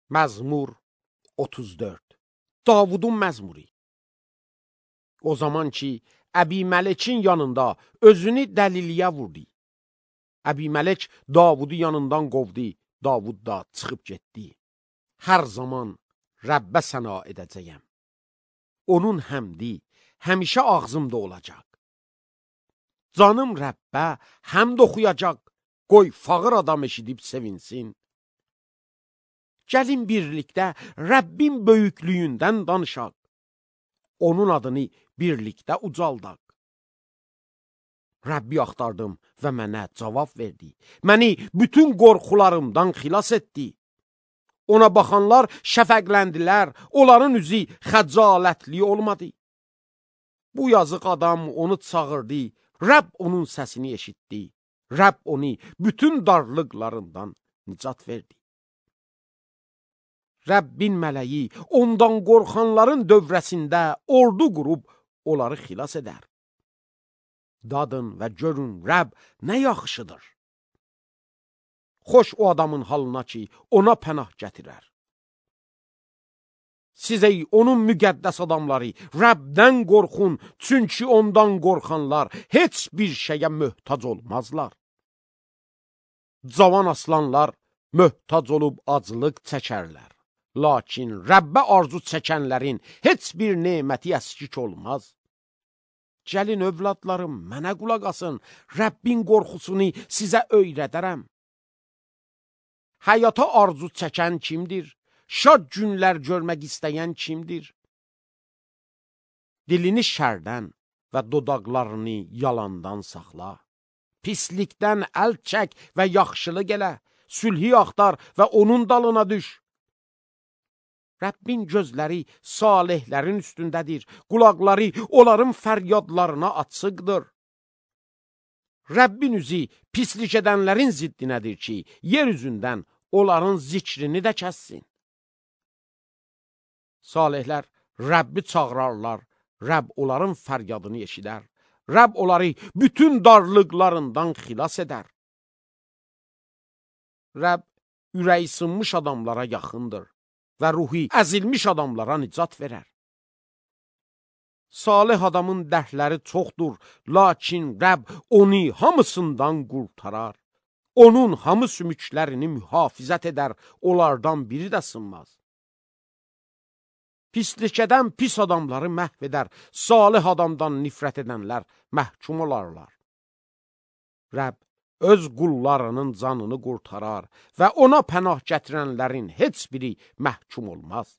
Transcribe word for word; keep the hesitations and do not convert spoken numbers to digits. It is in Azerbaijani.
Məzmur otuz dörd. Davudun məzmuri. O zaman ki, Əbimələkin yanında özünü dəliliyə vurdu. Əbimələk Davudu yanından qovdu, Davud da çıxıb getdi. Hər zaman Rəbbə səna edəcəyəm. Onun həmdi həmişə ağzımda olacaq. Canım Rəbbə həmd oxuyacaq, qoy fağır adam eşidib sevinsin. Gəlin birlikdə Rəbbin böyüklüyündən danışaq. Onun adını birlikdə ucaldaq. Rəbbi axtardım və mənə cavab verdi. Məni bütün qorxularımdan xilas etdi. Ona baxanlar şəfəqləndilər, onların üzü xəcalətli olmadı. Bu yazıq adam onu çağırdı, Rəbb onun səsini eşitdi. Rəbb onu bütün darlıqlarından nicat verdi. Rəbbin mələyi ondan qorxanların dövrəsində ordu qurub onları xilas edər. Dadın və görün, Rəbb nə yaxşıdır. Xoş o adamın halına ki, ona pənah gətirər. Siz ey onun müqəddəs adamları, Rəbdən qorxun, çünki ondan qorxanlar heç bir şeyə möhtac olmazlar. Cavan aslanlar möhtac olub aclıq çəkərlər. Lakin Rəbbə arzu çəkənlərin heç bir neməti əskik olmaz. Gəlin övladlarım, mənə qulaq asın, Rəbbin qorxusunu sizə öyrədərəm. Həyata arzu çəkən kimdir? Şad günlər görmək istəyən kimdir? Dilini şərdən və dodaqlarını yalandan saxla. Pislikdən əl çək və yaxşılıq elə. Sülhi axtar və onun dalına düş. Rəbbin gözləri salihlərin üstündədir. Qulaqları onların fəryadlarına açıqdır. Rəbbin üzü pislik edənlərin ziddinədir ki, yer üzündən onların zikrini də kəssin. Salihlər Rəbbi çağırarlar, Rəbb onların fəryadını eşidər. Rəbb onları bütün darlıqlarından xilas edər. Rəbb ürəyi sınmış adamlara yaxındır və ruhi əzilmiş adamlara nicat verər. Salih adamın dərdləri çoxdur, lakin Rəbb onu hamısından qurtarar. Onun hamı sümüklərini mühafizət edər, onlardan biri də sınmaz. Pislik edən pis adamları məhv edər, salih adamdan nifrət edənlər məhkum olarlar. Rəbb öz qullarının canını qurtarar və ona pənah gətirənlərin heç biri məhkum olmaz.